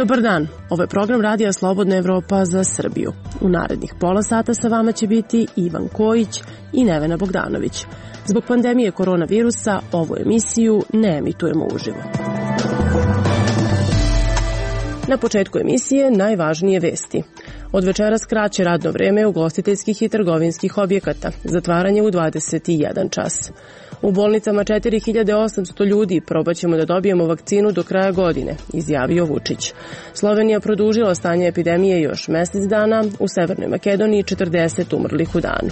Dobar dan, ovo je program Radija Slobodna Evropa za Srbiju. U narednih pola sata sa vama će biti Ivan Kojić i Nevena Bogdanović. Zbog pandemije koronavirusa ovu emisiju ne emitujemo uživo. Na početku emisije najvažnije vesti. Od večeras kraće radno vreme ugostiteljskih i trgovinskih objekata, zatvaranje u 21 čas. U bolnicama 4800 ljudi probaćemo da dobijemo vakcinu do kraja godine, izjavio Vučić. Slovenija produžila stanje epidemije još mesec dana, u Severnoj Makedoniji 40 umrlih u danu.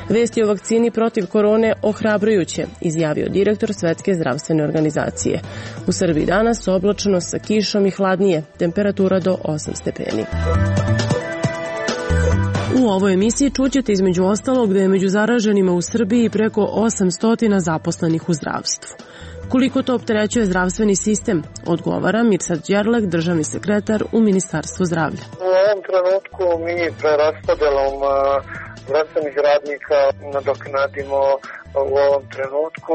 Vesti o vakcini protiv korone ohrabrujuće, izjavio direktor Svetske zdravstvene organizacije. U Srbiji danas oblačno sa kišom i hladnije, temperatura do 8 stepeni. U ovoj emisiji čućete između ostalog da je među zaraženima u Srbiji preko 800 zaposlenih u zdravstvu. Koliko to opterećuje zdravstveni sistem, odgovara Mirsad Đerlek, državni sekretar u Ministarstvu zdravlja. U ovom trenutku mi preraspodelom zdravstvenih radnika nadoknadimo u ovom trenutku.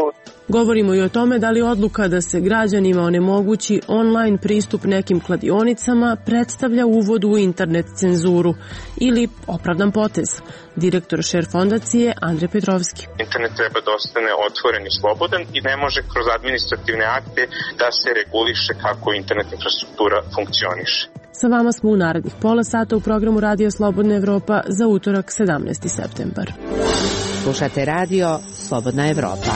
Govorimo i o tome da li odluka da se građanima onemogući online pristup nekim kladionicama predstavlja uvod u internet cenzuru ili opravdan potez. Direktor Šer fondacije Andrej Petrovski. Internet treba da ostane otvoren i slobodan i ne može kroz administrativne akte da se reguliše kako internet infrastruktura funkcioniše. Sa vama smo u narednih pola sata u programu Radija Slobodna Evropa za utorak 17. septembar. Slušate radio Slobodna Evropa.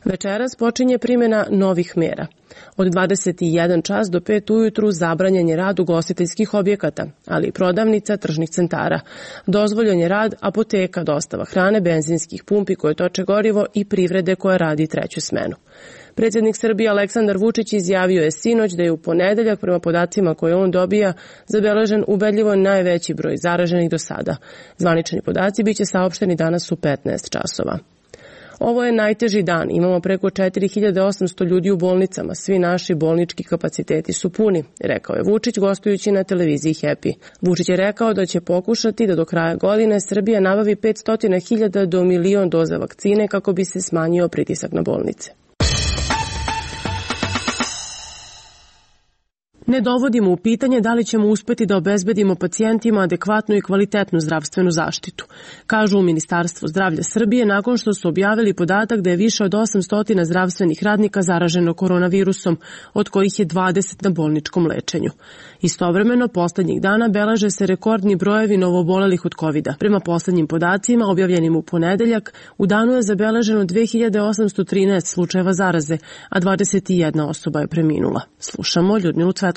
Večeras počinje primjena novih mera. Od 21 čas do 5 ujutru zabranjen je rad ugostiteljskih objekata, ali i prodavnica, tržnih centara. Dozvoljen je rad apoteka, dostava hrane, benzinskih pumpi koje toče gorivo i privrede koja radi treću smenu. Predsjednik Srbije Aleksandar Vučić izjavio je sinoć da je u ponedeljak, prema podacima koje on dobija, zabeležen ubedljivo najveći broj zaraženih do sada. Zvanični podaci biće saopšteni danas u 15 časova. Ovo je najteži dan, imamo preko 4800 ljudi u bolnicama, svi naši bolnički kapaciteti su puni, rekao je Vučić gostujući na televiziji Happy. Vučić je rekao da će pokušati da do kraja godine Srbija nabavi 500.000 do 1.000.000 doza vakcine kako bi se smanjio pritisak na bolnice. Ne dovodimo u pitanje da li ćemo uspeti da obezbedimo pacijentima adekvatnu i kvalitetnu zdravstvenu zaštitu, kažu u Ministarstvu zdravlja Srbije nakon što su objavili podatak da je više od 800 zdravstvenih radnika zaraženo koronavirusom, od kojih je 20 na bolničkom lečenju. Istovremeno, poslednjih dana beleže se rekordni brojevi novobolelih od COVID-a. Prema poslednjim podacima, objavljenim u ponedeljak, u danu je zabeleženo 2813 slučajeva zaraze, a 21 osoba je preminula. Slušamo Ljudmilu Cvetković.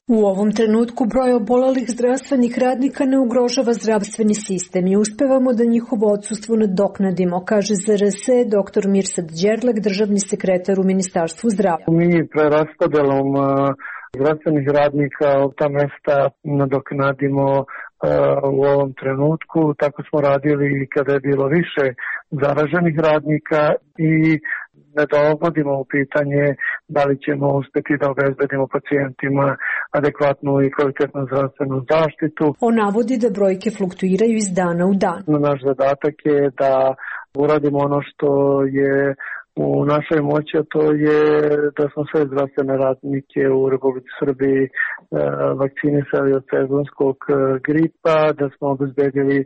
U ovom trenutku broj obolelih zdravstvenih radnika ne ugrožava zdravstveni sistem i uspevamo da njihovo odsustvo nadoknadimo, kaže ZRS dr. Mirsad Đerlek, državni sekretar u Ministarstvu zdravlja. Mi preraspodelom zdravstvenih radnika ta mesta nadoknadimo u ovom trenutku. Tako smo radili kada je bilo više zaraženih radnika i ne dovodimo u pitanje da li ćemo uspeti da obezbedimo pacijentima adekvatnu i kvalitetnu zdravstvenu zaštitu. On navodi da brojke fluktuiraju iz dana u dan. Naš zadatak je da uradimo ono što je u našoj moći, a to je da smo sve zdravstvene radnike u Republici Srbiji vakcinisali od sezonskog gripa, da smo obezbedili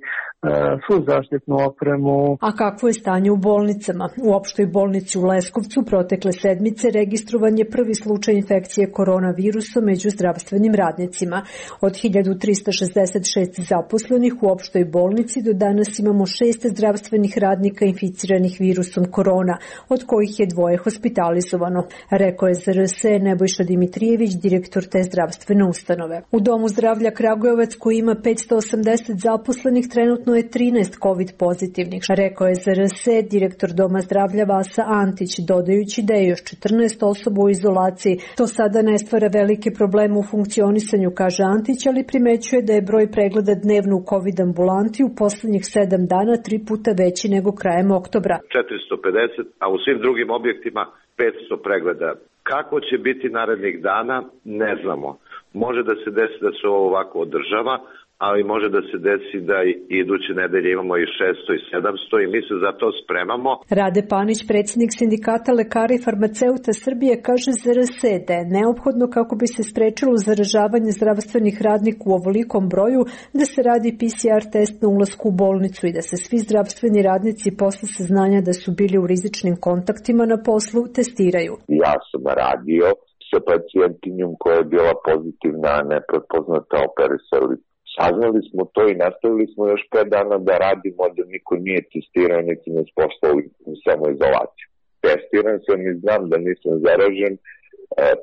svu zaštitnu opremu. A kakvo je stanje u bolnicama? U opštoj bolnici u Leskovcu protekle sedmice registrovan je prvi slučaj infekcije koronavirusom među zdravstvenim radnicima. Od 1366 zaposlenih u opštoj bolnici do danas imamo 6 zdravstvenih radnika inficiranih virusom korona, od kojih je 2 hospitalizovano, rekao je ZRS Nebojša Dimitrijević, direktor te zdravstvene ustanove. U Domu zdravlja Kragujevac, koji ima 580 zaposlenih, trenutno je 13 COVID pozitivnih, rekao je ZRS direktor Doma zdravlja Vasa Antić, dodajući da je još 14 osoba u izolaciji. To sada ne stvara velike probleme u funkcionisanju, kaže Antić, ali primećuje da je broj pregleda dnevno u COVID ambulanti u poslednjih 7 dana 3 puta veći nego krajem oktobra. 450, a u svim drugim objektima 500 pregleda. Kako će biti narednih dana, ne znamo. Može da se desi da se ovo ovako održava, ali može da se desi da iduće nedelje imamo i 600 i 700 i mi se za to spremamo. Rade Panić, predsjednik Sindikata lekara i farmaceuta Srbije, kaže za RS da je neophodno kako bi se sprečilo zaražavanje zdravstvenih radnika u ovolikom broju da se radi PCR test na ulasku u bolnicu i da se svi zdravstveni radnici posle saznanja da su bili u rizičnim kontaktima na poslu testiraju. Ja sam radio sa pacijentinjom koja je bila pozitivna, neprepoznata, operisali. Saznali smo to i nastavili smo još 5 dana da radimo, da niko nije testirao, niti nas poslali u samoizolaciju. Testiran sam i znam da nisam zaražen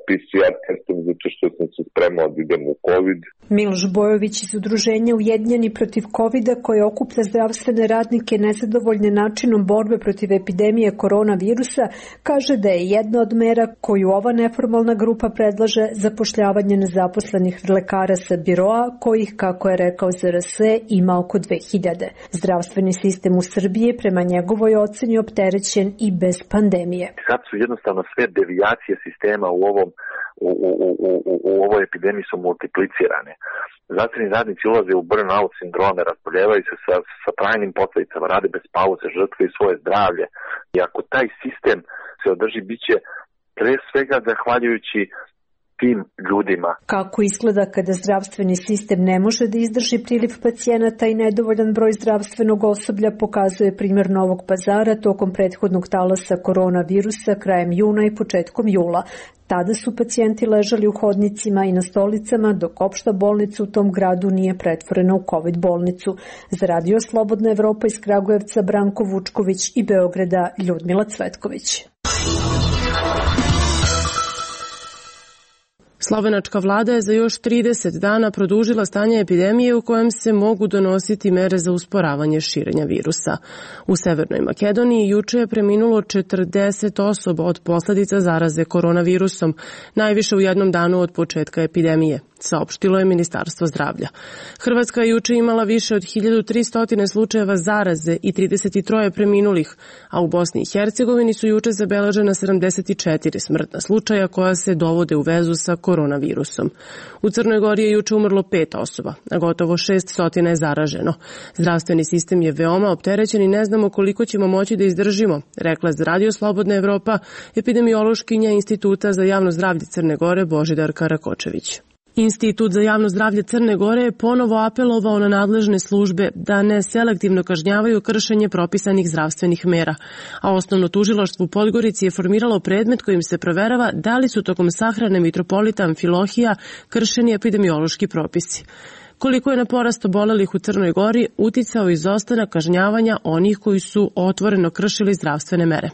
PCR testom zato što sam se spremao da idem u COVID. Miloš Bojović iz udruženja Ujedinjeni protiv COVID-a koje okuplja zdravstvene radnike nezadovoljne načinom borbe protiv epidemije koronavirusa kaže da je jedna od mera koju ova neformalna grupa predlaže zapošljavanje nezaposlenih lekara sa biroa kojih, kako je rekao ZRS, ima oko 2000. Zdravstveni sistem u Srbiji prema njegovoj oceni opterećen i bez pandemije. Sad su jednostavno sve devijacije sistema u ovoj epidemiji su multiplicirane. Zdravstveni radnici ulaze u burnout sindrome, raspoljevaju se sa trajnim posledicama, rade bez pauze, žrtvuju svoje zdravlje. I ako taj sistem se održi, bit će pre svega zahvaljujući tim ljudima. Kako izgleda kada zdravstveni sistem ne može da izdrži priliv pacijenata i nedovoljan broj zdravstvenog osoblja, pokazuje primjer Novog Pazara tokom prethodnog talasa koronavirusa krajem juna i početkom jula. Tada su pacijenti ležali u hodnicima i na stolicama, dok opšta bolnica u tom gradu nije pretvorena u COVID bolnicu. Za Radio Slobodna Evropa iz Kragujevca Branko Vučković i Beograda Ljudmila Cvetković. Slovenačka vlada je za još 30 dana produžila stanje epidemije u kojem se mogu donositi mere za usporavanje širenja virusa. U Severnoj Makedoniji juče je preminulo 40 osoba od posledica zaraze koronavirusom, najviše u jednom danu od početka epidemije, saopštilo je Ministarstvo zdravlja. Hrvatska je juče imala više od 1300 slučajeva zaraze i 33 preminulih, a u Bosni i Hercegovini su juče zabeležena 74 smrtna slučaja koja se dovode u vezu sa koronavirusom. U Crnoj Gori je juče umrlo 5 osoba, a gotovo 600 je zaraženo. Zdravstveni sistem je veoma opterećen i ne znamo koliko ćemo moći da izdržimo, rekla za Radio Slobodna Evropa epidemiološkinja Instituta za javno zdravlje Crne Gore Božidarka Rakočević. Institut za javno zdravlje Crne Gore je ponovo apelovao na nadležne službe da ne selektivno kažnjavaju kršenje propisanih zdravstvenih mera, a osnovno tužilaštvo u Podgorici je formiralo predmet kojim se proverava da li su tokom sahrane mitropolita Amfilohija kršeni epidemiološki propisi. Koliko je na porast obolelih u Crnoj Gori uticao izostanak kažnjavanja onih koji su otvoreno kršili zdravstvene mere.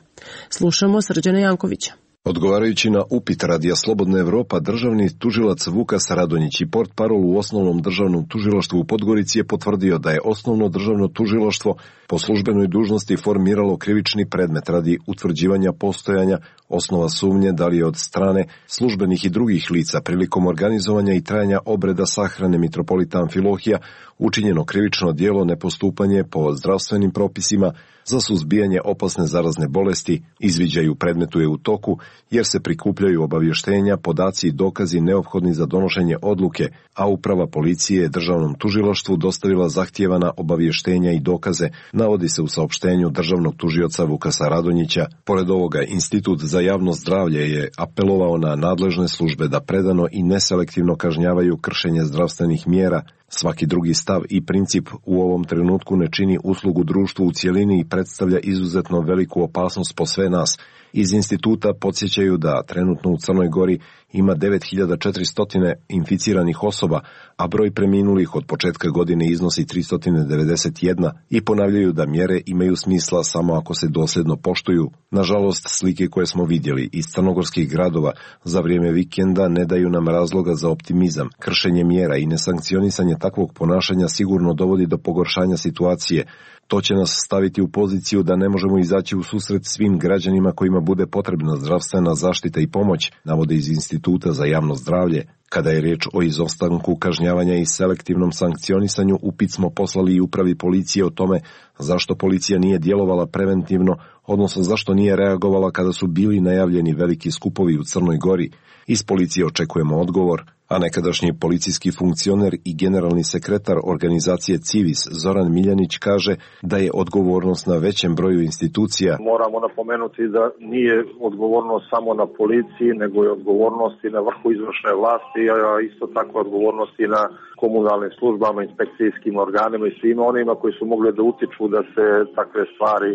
Slušamo Srđana Jankovića. Odgovarajući na upit Radija Slobodna Evropa, državni tužilac Vukas Radonjić i portparol u osnovnom državnom tužilaštvu u Podgorici je potvrdio da je osnovno državno tužilaštvo po službenoj dužnosti formiralo krivični predmet radi utvrđivanja postojanja osnova sumnje da li je od strane službenih i drugih lica prilikom organizovanja i trajanja obreda sahrane mitropolita Amfilohija učinjeno krivično djelo nepostupanje po zdravstvenim propisima za suzbijanje opasne zarazne bolesti. Izviđaj u predmetu je u toku jer se prikupljaju obavještenja, podaci i dokazi neophodni za donošenje odluke, a uprava policije je državnom tužilaštvu dostavila zahtijevana obavještenja i dokaze, navodi se u saopštenju državnog tužioca Vukasa Radonjića. Pored ovoga, Institut za javno zdravlje je apelovao na nadležne službe da predano i neselektivno kažnjavaju kršenje zdravstvenih mjera. Svaki drugi stav i princip u ovom trenutku ne čini uslugu društvu u cjelini i predstavlja izuzetno veliku opasnost po sve nas. Iz instituta podsjećaju da trenutno u Crnoj Gori ima 9400 inficiranih osoba, a broj preminulih od početka godine iznosi 391 i ponavljaju da mjere imaju smisla samo ako se dosljedno poštuju. Nažalost, slike koje smo vidjeli iz crnogorskih gradova za vrijeme vikenda ne daju nam razloga za optimizam. Kršenje mjera i nesankcionisanje takvog ponašanja sigurno dovodi do pogoršanja situacije. To će nas staviti u poziciju da ne možemo izaći u susret svim građanima kojima bude potrebna zdravstvena zaštita i pomoć, navode iz Instituta za javno zdravlje. Kada je riječ o izostanku kažnjavanja i selektivnom sankcionisanju, upit smo poslali i upravi policije o tome zašto policija nije djelovala preventivno, odnosno zašto nije reagovala kada su bili najavljeni veliki skupovi u Crnoj Gori. Iz policije očekujemo odgovor. A nekadašnji policijski funkcioner i generalni sekretar organizacije Civis Zoran Miljanić kaže da je odgovornost na većem broju institucija. Moramo napomenuti da nije odgovornost samo na policiji, nego je odgovornost i na vrhu izvršne vlasti, a isto tako odgovornost i na komunalnim službama, inspekcijskim organima i svima onima koji su mogli da utiču da se takve stvari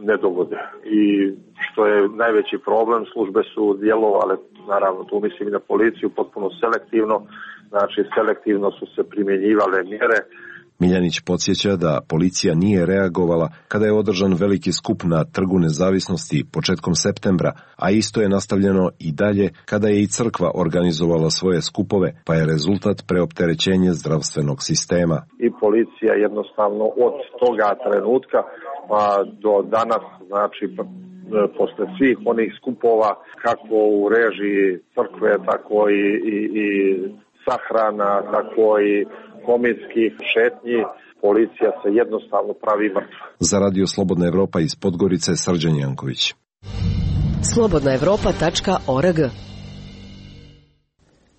ne dogode. I što je najveći problem, službe su djelovale, naravno tu mislim i na policiju, potpuno selektivno, znači selektivno su se primjenjivale mjere. Miljanić podsjeća da policija nije reagovala kada je održan veliki skup na Trgu Nezavisnosti početkom septembra, a isto je nastavljeno i dalje kada je i crkva organizovala svoje skupove, pa je rezultat preopterećenje zdravstvenog sistema. I policija jednostavno od toga trenutka pa do danas, znači posle svih onih skupova, kako u režiji crkve, tako i sahrana, tako i komitskih šetnji, policija se jednostavno pravi mrtva. Za Radio Slobodna Evropa iz Podgorice, Srđan Janković. slobodnaevropa.org.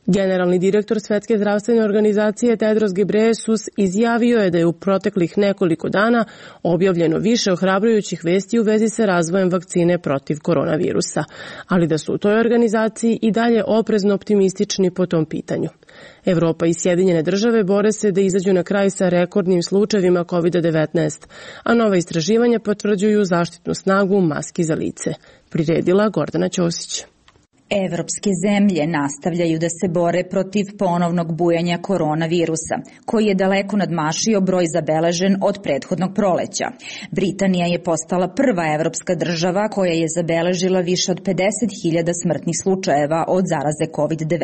Generalni direktor Svetske zdravstvene organizacije Tedros Ghebreyesus izjavio je da je u proteklih nekoliko dana objavljeno više ohrabrujućih vesti u vezi sa razvojem vakcine protiv koronavirusa, ali da su u toj organizaciji i dalje oprezno optimistični po tom pitanju. Evropa i Sjedinjene države bore se da izađu na kraj sa rekordnim slučajevima COVID-19, a nova istraživanja potvrđuju zaštitnu snagu maski za lice. Priredila Gordana Ćosić. Evropske zemlje nastavljaju da se bore protiv ponovnog bujanja koronavirusa, koji je daleko nadmašio broj zabeležen od prethodnog proleća. Britanija je postala prva evropska država koja je zabeležila više od 50.000 smrtnih slučajeva od zaraze COVID-19.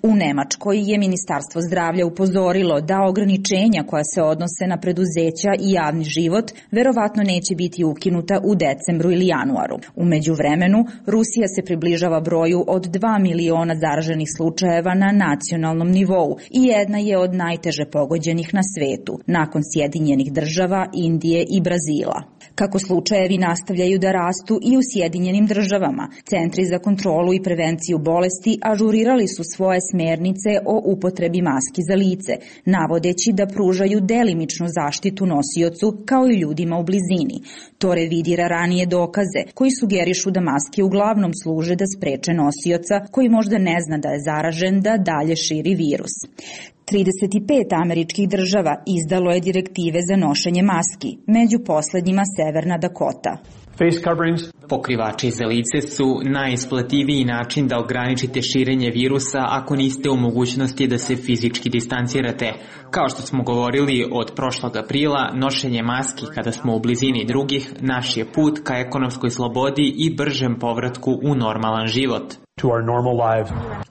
U Nemačkoj je Ministarstvo zdravlja upozorilo da ograničenja koja se odnose na preduzeća i javni život verovatno neće biti ukinuta u decembru ili januaru. U međuvremenu, Rusija se približava broju od 2 miliona zaraženih slučajeva na nacionalnom nivou i jedna je od najteže pogođenih na svetu, nakon Sjedinjenih država, Indije i Brazila. Kako slučajevi nastavljaju da rastu i u Sjedinjenim državama, Centri za kontrolu i prevenciju bolesti ažurirali su svoje smernice o upotrebi maski za lice, navodeći da pružaju delimičnu zaštitu nosiocu kao i ljudima u blizini. To revidira ranije dokaze koji sugerišu da maske uglavnom služe da spreče nosioca koji možda ne zna da je zaražen da dalje širi virus. 35 američkih država izdalo je direktive za nošenje maski, među poslednjima Severna Dakota. Pokrivači za lice su najisplativiji način da ograničite širenje virusa ako niste u mogućnosti da se fizički distancirate. Kao što smo govorili od prošlog aprila, nošenje maski kada smo u blizini drugih naš je put ka ekonomskoj slobodi i bržem povratku u normalan život.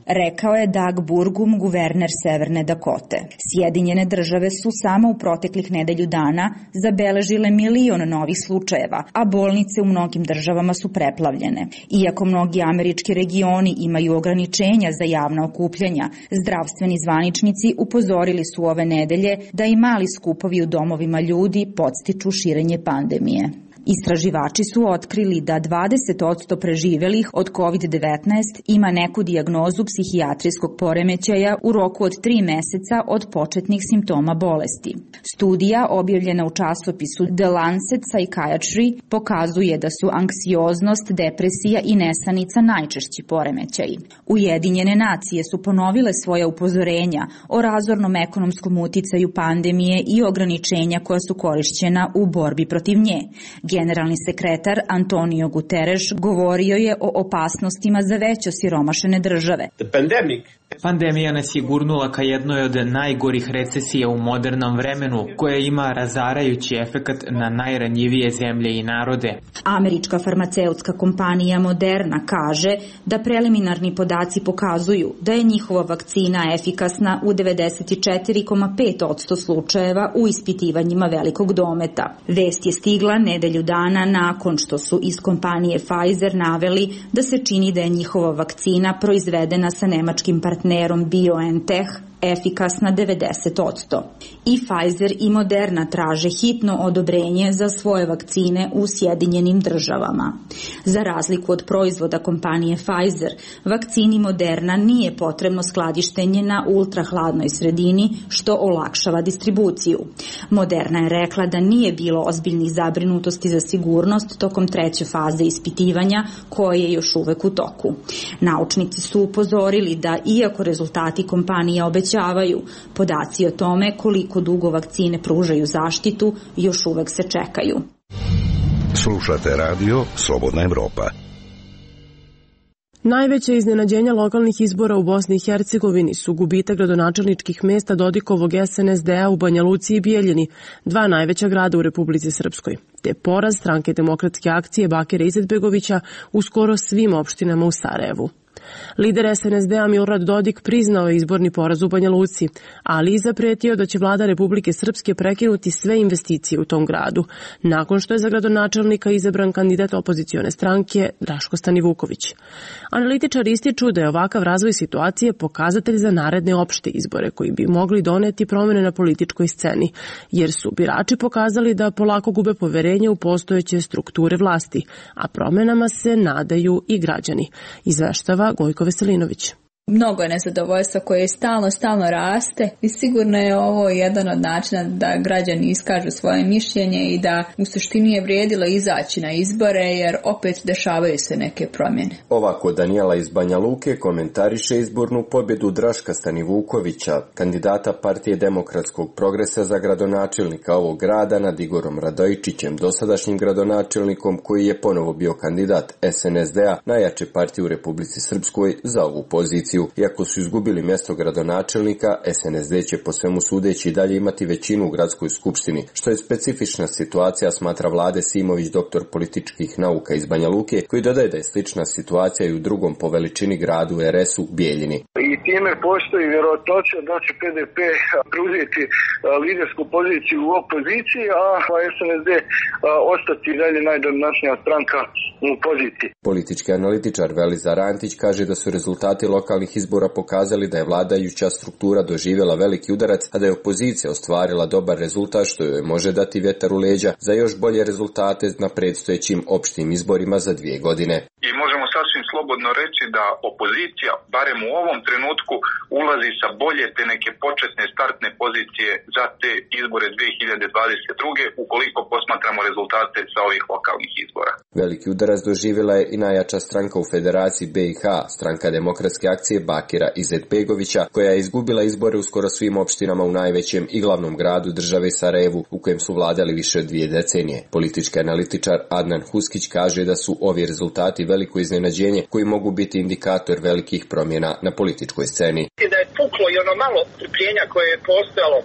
Rekao je Doug Burgum, guverner Severne Dakote. Sjedinjene države su samo u proteklih nedelju dana zabeležile 1 milion novih slučajeva, a bolnice u mnogim državama su preplavljene. Iako mnogi američki regioni imaju ograničenja za javna okupljanja, zdravstveni zvaničnici upozorili su ove nedelje da i mali skupovi u domovima ljudi podstiču širenje pandemije. Istraživači su otkrili da 20% preživelih od COVID-19 ima neku dijagnozu psihijatrijskog poremećaja u roku od 3 meseca od početnih simptoma bolesti. Studija objavljena u časopisu The Lancet Psychiatry pokazuje da su anksioznost, depresija i nesanica najčešći poremećaji. Ujedinjene nacije su ponovile svoja upozorenja o razornom ekonomskom uticaju pandemije i ograničenja koja su korišćena u borbi protiv nje. Generalni sekretar Antonio Guterres govorio je o opasnostima za već osiromašene države. Pandemija nas je gurnula ka jednoj od najgorih recesija u modernom vremenu, koja ima razarajući efekat na najranjivije zemlje i narode. Američka farmaceutska kompanija Moderna kaže da preliminarni podaci pokazuju da je njihova vakcina efikasna u 94,5% slučajeva u ispitivanjima velikog dometa. Vest je stigla nedelju dana nakon što su iz kompanije Pfizer naveli da se čini da je njihova vakcina proizvedena sa nemačkim partnerom BioNTech efikasna 90%. I Pfizer i Moderna traže hitno odobrenje za svoje vakcine u Sjedinjenim državama. Za razliku od proizvoda kompanije Pfizer, vakcini Moderna nije potrebno skladištenje na ultrahladnoj sredini, što olakšava distribuciju. Moderna je rekla da nije bilo ozbiljnih zabrinutosti za sigurnost tokom 3. faze ispitivanja, koje je još uvek u toku. Naučnici su upozorili da, iako rezultati kompanije obećavaju, podaci o tome koliko dugo vakcine pružaju zaštitu još uvek se čekaju. Slušate radio Slobodna Evropa. Najveće iznenađenja lokalnih izbora u Bosni i Hercegovini su gubitak gradonačelničkih mesta Dodikovog SNSD-a u Banja Luci i Bijeljini, 2 najveća grada u Republici Srpskoj, te poraz Stranke demokratske akcije Bakira Izetbegovića u skoro svim opštinama u Sarajevu. Lider SNSD-a Milorad Dodik priznao je izborni poraz u Banja Luci, ali i zapretio da će vlada Republike Srpske prekinuti sve investicije u tom gradu, nakon što je za gradonačelnika izabran kandidat opozicione stranke Draško Stanivuković. Analitičari ističu da je ovakav razvoj situacije pokazatelj za naredne opšte izbore koji bi mogli doneti promene na političkoj sceni, jer su birači pokazali da polako gube poverenje u postojeće strukture vlasti, a promenama se nadaju i građani, izveštava Gojko Veselinović. Mnogo je nezadovoljstva koje stalno raste i sigurno je ovo jedan od načina da građani iskažu svoje mišljenje i da u suštini je vrijedilo izaći na izbore jer opet dešavaju se neke promjene. Ovako Danijela iz Banja Luke komentariše izbornu pobjedu Draška Stanivukovića, kandidata Partije demokratskog progresa za gradonačelnika ovog grada nad Igorom Radojičićem, dosadašnjim gradonačelnikom koji je ponovo bio kandidat SNSD-a, najjače partije u Republici Srpskoj, za ovu poziciju. Iako su izgubili mjesto gradonačelnika, SNSD će po svemu sudeći dalje imati većinu u gradskoj skupštini, što je specifična situacija, smatra Vlade Simović, doktor političkih nauka iz Banja Luke, koji dodaje da je slična situacija i u drugom po veličini gradu RS-u Bijeljini. I time postoji vjerojatnoća da će PDP preuzeti lidersku poziciju u opoziciji, a SNSD ostati dalje najdominantnija stranka u poziciji. Politički analitičar Velizar Antić kaže da su rezultati lokalnih izbora pokazali da je vladajuća struktura doživjela veliki udarac, a da je opozicija ostvarila dobar rezultat što joj može dati vjetar u leđa za još bolje rezultate na predstojećim opštim izborima za 2 godine. I možemo sasvim slobodno reći da opozicija, barem u ovom trenutku, ulazi sa bolje te neke početne startne pozicije za te izbore 2022. ukoliko posmatramo rezultate sa ovih lokalnih izbora. Veliki udarac doživjela je i najjača stranka u Federaciji BiH, Stranka demokratske akcije Bakira Izetbegovića, koja je izgubila izbore u skoro svim opštinama u najvećem i glavnom gradu države Sarajevu, u kojem su vladali više od 2 decenije. Politički analitičar Adnan Huskić kaže da su ovi rezultati veliko iznenađenje koji mogu biti indikator velikih promjena na političkoj sceni. Da je puklo i ono malo strpljenja koje je postojalo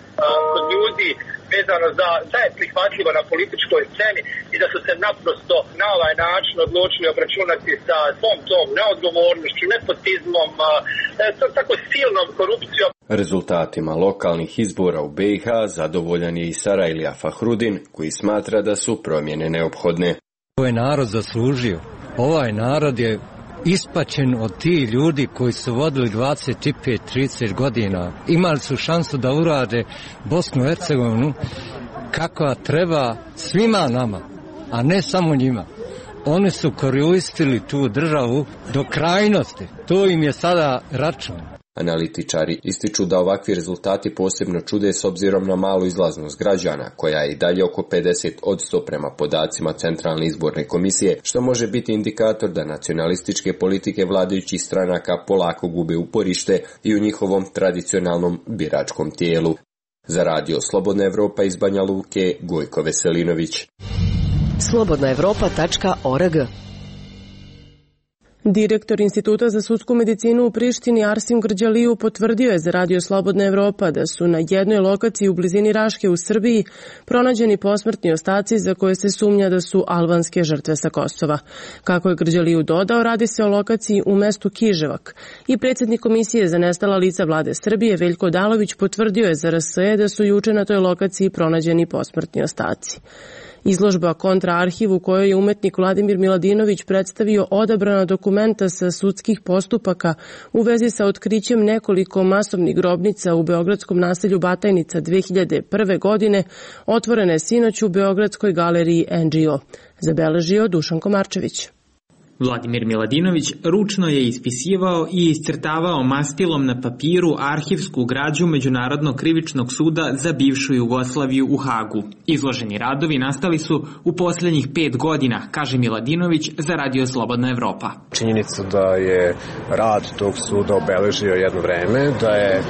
kod ljudi vezano za šta je prihvatljivo na političkoj sceni i da su se naprosto na ovaj način odlučili obračunati sa svom tom neodgovornošću, nepotizmom, tako silnom korupcijom. Rezultatima lokalnih izbora u BiH zadovoljan je i Sarajlija Fahrudin, koji smatra da su promjene neophodne. Ovo je narod zaslužio. Ovaj narod je ispačen od tih ljudi koji su vodili 25-30 godina. Imali su šansu da urade Bosnu i Hercegovinu kakva treba svima nama, a ne samo njima. Oni su koristili tu državu do krajnosti. To im je sada račun. Analitičari ističu da ovakvi rezultati posebno čude s obzirom na malu izlaznost građana, koja je i dalje oko 50% prema podacima Centralne izborne komisije, što može biti indikator da nacionalističke politike vladajućih stranaka polako gube uporište i u njihovom tradicionalnom biračkom tijelu. Za radio Slobodna Evropa iz Banja Luke, Gojko Veselinović. slobodnaevropa.org. Direktor Instituta za sudsku medicinu u Prištini Arsim Grđaliju potvrdio je za radio Slobodna Evropa da su na jednoj lokaciji u blizini Raške u Srbiji pronađeni posmrtni ostaci za koje se sumnja da su albanske žrtve sa Kosova. Kako je Grđaliju dodao, radi se o lokaciji u mestu Kiževak i predsjednik Komisije za nestala lica vlade Srbije Veljko Odalović potvrdio je za RSE da su juče na toj lokaciji pronađeni posmrtni ostaci. Izložba Kontraarhiv u kojoj je umetnik Vladimir Miladinović predstavio odabrana dokumenta sa sudskih postupaka u vezi sa otkrićem nekoliko masovnih grobnica u beogradskom naselju Batajnica 2001. godine, otvorena je sinoć u Beogradskoj galeriji NGO, zabeležio Dušan Komarčević. Vladimir Miladinović ručno je ispisivao i iscrtavao mastilom na papiru arhivsku građu Međunarodnog krivičnog suda za bivšu Jugoslaviju u Hagu. Izloženi radovi nastali su u posljednjih 5 godina, kaže Miladinović za Radio Slobodna Evropa. Činjenica da je rad tog suda obeležio jedno vreme, da je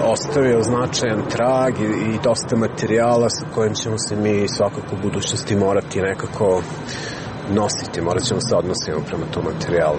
ostavio značajan trag i dosta materijala sa kojim ćemo se mi svakako u budućnosti morati nekako nositi, morat ćemo se odnosimo prema tom materijalu.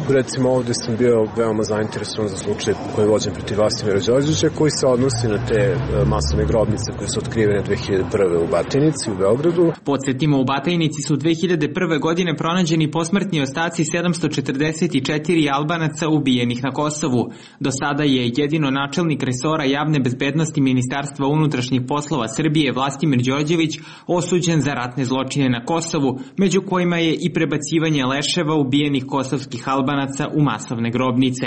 Recimo ovdje sam bio veoma zainteresovan za slučaj koji je vođen protiv Vlastimira Đorđevića, koji se odnosi na te masovne grobnice koje su otkrivene 2001. u Batajnici u Beogradu. Podsjetimo, u Batajnici su 2001. godine pronađeni posmrtni ostaci 744 Albanaca ubijenih na Kosovu. Do sada je jedino načelnik resora javne bezbednosti Ministarstva unutrašnjih poslova Srbije Vlastimir Đorđević osuđen za ratne zločine na Kosovu, među kojima je i prebacivanje leševa ubijenih kosovskih Albanaca u masovne grobnice.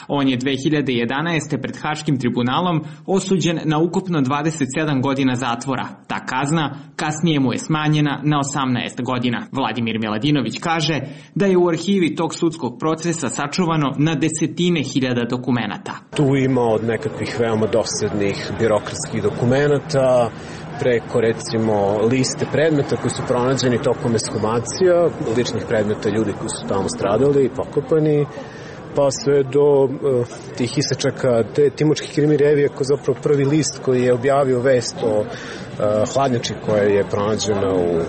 On je 2011. pred Haškim tribunalom osuđen na ukupno 27 godina zatvora. Ta kazna kasnije mu je smanjena na 18 godina. Vladimir Miladinović kaže da je u arhivi tog sudskog procesa sačuvano na desetine hiljada dokumenata. Tu ima od nekakvih veoma dosadnih birokratskih dokumenata, preko recimo liste predmeta koji su pronađeni tokom ekshumacija, ličnih predmeta ljudi koji su tamo stradali i pokopani, pa sve do tih isečaka te Timočke Krimi revije, koji je zapravo prvi list koji je objavio vest o hladnjači koja je pronađena u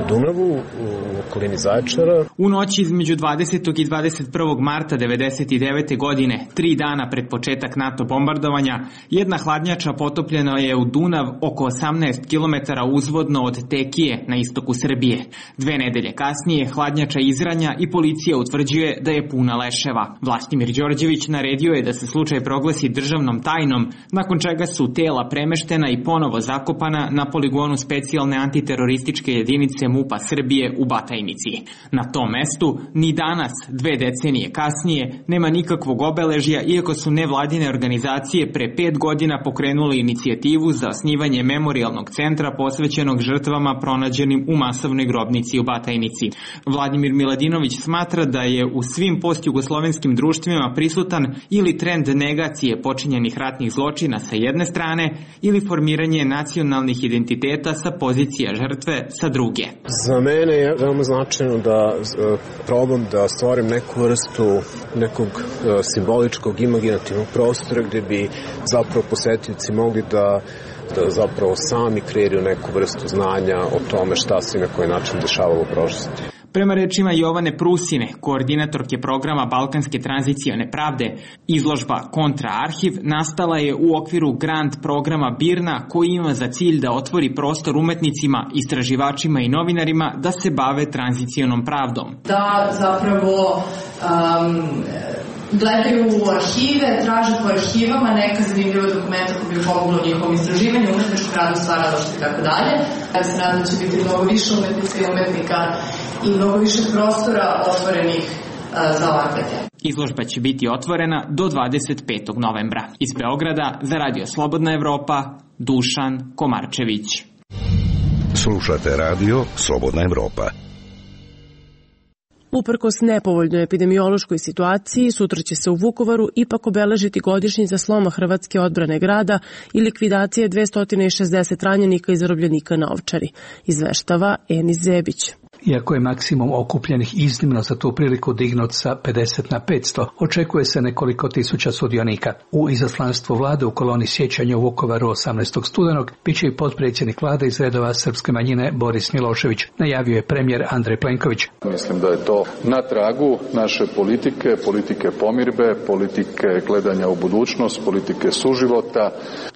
Dunavu, u okolini Zaječara. U noći između 20. i 21. marta 1999. godine, 3 dana pred početak NATO bombardovanja, jedna hladnjača potopljena je u Dunav oko 18 km uzvodno od Tekije na istoku Srbije. 2 nedelje kasnije hladnjača izranja i policija utvrđuje da je puna leševa. Vlastimir Đorđević naredio je da se slučaj proglasi državnom tajnom, nakon čega su tela premeštena i ponovo zakopana na poligonu specijalne antiterorističke jedinice MUP-a Srbije u Batajnici. Na tom mestu ni danas, 2 decenije kasnije, nema nikakvog obeležja, iako su nevladine organizacije pre 5 godina pokrenuli inicijativu za osnivanje memorijalnog centra posvećenog žrtvama pronađenim u masovnoj grobnici u Batajnici. Vladimir Miladinović smatra da je u svim postjugoslovenskim društvima prisutan ili trend negacije počinjenih ratnih zločina sa jedne strane ili formiranje nacionalnih identiteta sa pozicija žrtve sa druge. Za mene je veoma značajno da probam da stvorim neku vrstu nekog simboličkog imaginativnog prostora gde bi zapravo posetioci mogli da zapravo sami kreiraju neku vrstu znanja o tome šta se na koji način dešavalo u prošlosti. Prema rečima Jovane Prusine, koordinatorke programa Balkanske tranzicione pravde, izložba Kontraarhiv nastala je u okviru grant programa BIRNA, koji ima za cilj da otvori prostor umetnicima, istraživačima i novinarima da se bave tranzicionom pravdom. Da zapravo gledaju u arhive, traže po arhivama neka zanimljiva dokumenta koji bi pomoglo njihovom istraživanju, umetničkog radu, stvaralaštva i tako dalje. Ja se nadam da će biti mnogo više umetnika i umetnika i mnogo više prostora otvorenih za ovakve teme. Izložba će biti otvorena do 25. novembra. Iz Beograda za Radio Slobodna Evropa, Dušan Komarčević. Slušate Radio Slobodna Evropa. Uprkos nepovoljnoj epidemiološkoj situaciji, sutra će se u Vukovaru ipak obeležiti godišnjica sloma Hrvatske odbrane grada i likvidacije 260 ranjenika i zarobljenika na Ovčari, izveštava Enis Zebić. Iako je maksimum okupljenih iznimno za tu priliku dignut sa 50 na 500, očekuje se nekoliko tisuća sudionika. U izaslanstvu vlade u koloni sjećanja u Vukovaru 18. studenog biće i potpredsjednik vlade iz redova srpske manjine Boris Milošević, najavio je premijer Andrej Plenković. Mislim da je to na tragu naše politike, politike pomirbe, politike gledanja u budućnost, politike suživota.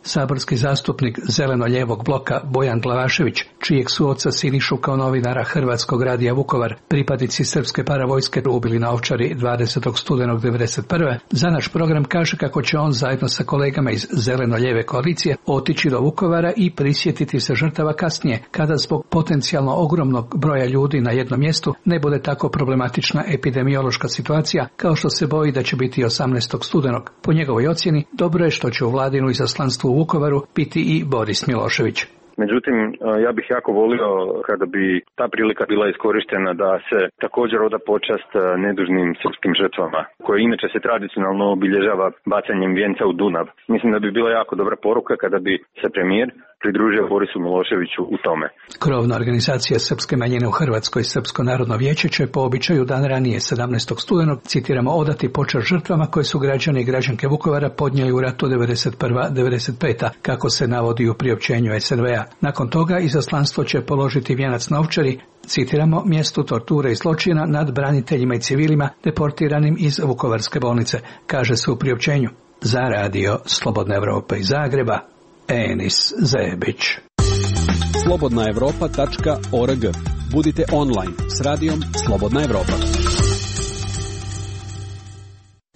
Saborski zastupnik zeleno-ljevog bloka Bojan Glavašević, čijeg su oca Sinišu kao novinara Hrvatskog radija Vukovar pripadnici srpske paravojske ubili na Ovčari 20. studenog 1991. za naš program kaže kako će on zajedno sa kolegama iz zeleno-ljeve koalicije otići do Vukovara i prisjetiti se žrtava kasnije, kada zbog potencijalno ogromnog broja ljudi na jednom mjestu ne bude tako problematična epidemiološka situacija kao što se boji da će biti 18. studenog. Po njegovoj ocjeni, dobro je što će u vladinu izaslanstvu u Vukovaru biti i Boris Milošević. Međutim, ja bih jako volio kada bi ta prilika bila iskorištena da se također oda počast nedužnim srpskim žrtvama, koje inače se tradicionalno obilježava bacanjem vijenca u Dunav. Mislim da bi bila jako dobra poruka kada bi se premijer pridružio Borisu Miloševiću u tome. Krovna organizacija srpske manjine u Hrvatskoj, Srpsko narodno vijeće, će po običaju dan ranije 17. studenog, citiramo, odati počast žrtvama koje su građani i građanke Vukovara podnijeli u ratu 91-95, kako se navodi u priopćenju SNV-a. Nakon toga izaslanstvo će položiti vijenac na Ovčari, citiramo, mjestu torture i zločina nad braniteljima i civilima deportiranim iz Vukovarske bolnice, kaže se u priopćenju. Za radio Slobodna Evropa iz Zagreba, Enis Zebić. slobodnaevropa.org. Budite online s radijom Slobodna Evropa.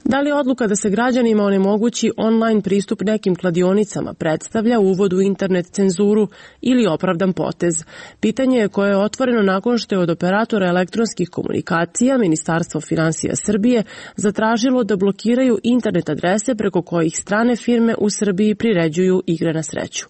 Da li odluka da se građanima onemogući online pristup nekim kladionicama predstavlja uvod u internet cenzuru ili opravdan potez? Pitanje je koje je otvoreno nakon što je od operatora elektronskih komunikacija Ministarstvo finansija Srbije zatražilo da blokiraju internet adrese preko kojih strane firme u Srbiji priređuju igre na sreću.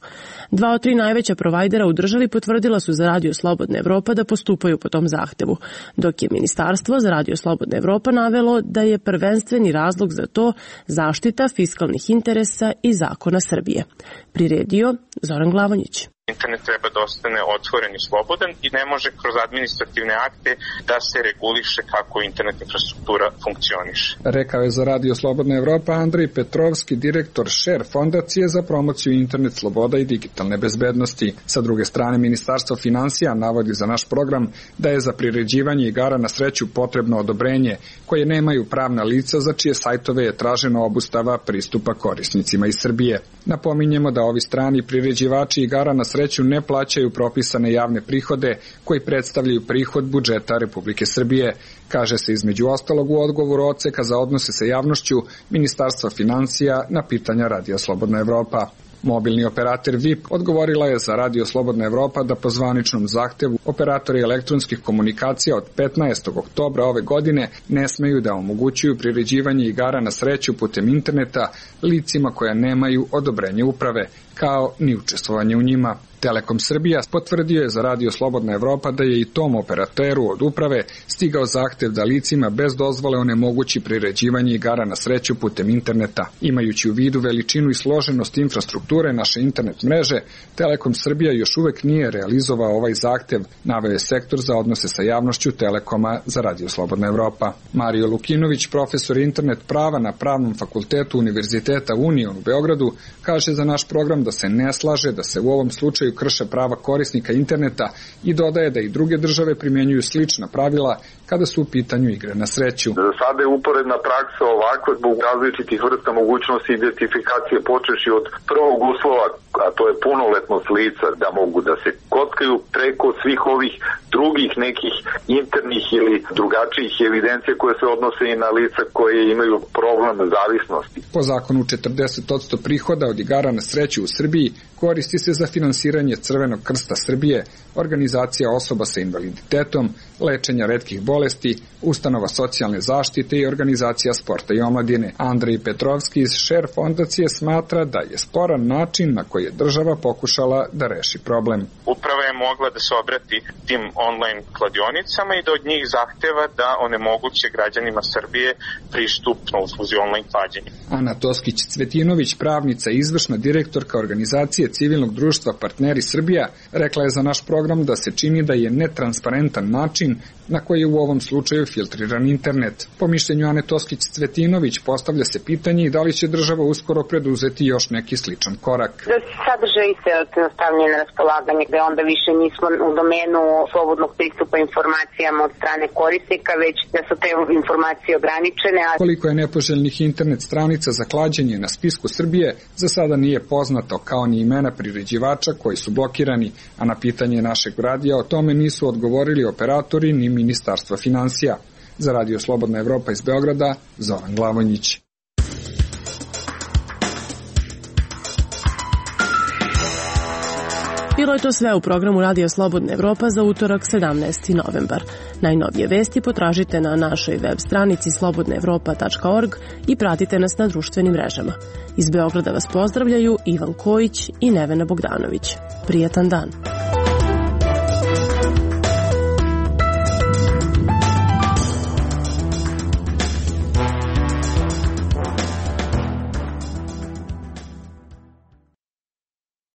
2 od 3 najveća provajdera u državi potvrdila su za Radio Slobodna Evropa da postupaju po tom zahtevu, dok je Ministarstvo za Radio Slobodna Evropa navelo da je prvenstveni razlog za to zaštita fiskalnih interesa i zakona Srbije. Priredio Zoran Glavonjić. Internet treba da ostane otvoren i slobodan i ne može kroz administrativne akte da se reguliše kako internet infrastruktura funkcioniše. Rekao je za Radio Slobodna Evropa Andrej Petrovski, direktor Share fondacije za promociju internet sloboda i digitalne bezbednosti. Sa druge strane, Ministarstvo finansija navodi za naš program da je za priređivanje igara na sreću potrebno odobrenje koje nemaju pravna lica za čije sajtove je tražena obustava pristupa korisnicima iz Srbije. Napominjemo da ovi strani priređivači igara na sreću ne plaćaju propisane javne prihode koji predstavljaju prihod budžeta Republike Srbije, kaže se između ostalog u odgovoru odseka za odnose sa javnošću Ministarstva finansija na pitanja Radija Slobodna Evropa. Mobilni operator VIP odgovorila je za Radio Slobodna Evropa da po zvaničnom zahtevu operatori elektronskih komunikacija od 15. oktobra ove godine ne smeju da omogućuju priređivanje igara na sreću putem interneta licima koja nemaju odobrenje uprave, kao ni učestvovanje u njima. Telekom Srbija potvrdio je za Radio Slobodna Evropa da je i tom operateru od uprave stigao zahtev da licima bez dozvole onemogući priređivanje igara na sreću putem interneta. Imajući u vidu veličinu i složenost infrastrukture naše internet mreže, Telekom Srbija još uvek nije realizovao ovaj zahtev, naveo je sektor za odnose sa javnošću Telekoma za Radio Slobodna Evropa. Mario Lukinović, profesor internet prava na Pravnom fakultetu Univerziteta Union u Beogradu, kaže za naš program da se ne slaže da se u ovom slučaju krše prava korisnika interneta i dodaje da i druge države primjenjuju slična pravila kada su u pitanju igre na sreću. Za sada je uporedna praksa ovakva zbog različitih vrsta mogućnosti identifikacije počeši od prvog uslova, a to je punoletnost lica da mogu da se kockaju preko svih ovih drugih nekih internih ili drugačijih evidencija koje se odnose i na lica koje imaju problem zavisnosti. Po zakonu 40% prihoda od igara na sreću u Srbiji koristi se za finansiranje Crvenog krsta Srbije, organizacija osoba sa invaliditetom, lečenja retkih bolesti, ustanova socijalne zaštite i organizacija sporta i omladine. Andrej Petrovski iz Share fondacije smatra da je sporan način na koji je država pokušala da reši problem. Uprava je mogla da se obrati tim online kladionicama i da od njih zahteva da onemoguće građanima Srbije pristup na usluzi online klađenja. Ana Toskić-Cvetinović, pravnica i izvršna direktorka organizacije civilnog društva Partneri meri Srbija, rekla je za naš program da se čini da je netransparentan način na koji je u ovom slučaju filtriran internet. Po mišljenju Ane Toskić-Cvetinović postavlja se pitanje i da li će država uskoro preduzeti još neki sličan korak. Da se sadržaji se stavljaju na raspolaganje, gde onda više nismo u domenu slobodnog pristupa informacijama od strane korisnika, već da su te informacije ograničene. Koliko je nepoželjnih internet stranica za klađenje na spisku Srbije, za sada nije poznato, kao ni imena priređivača koji su blokirani, a na pitanje našeg radija o tome nisu odgovorili operatori ni Ministarstva finansija. Za Radio Slobodna Evropa iz Beograda, Zoran Glavonjić. Bilo je to sve u programu Radio Slobodna Evropa za utorak 17. novembar. Najnovije vesti potražite na našoj web stranici slobodnaevropa.org i pratite nas na društvenim mrežama. Iz Beograda vas pozdravljaju Ivan Kojić i Nevena Bogdanović. Prijatan dan!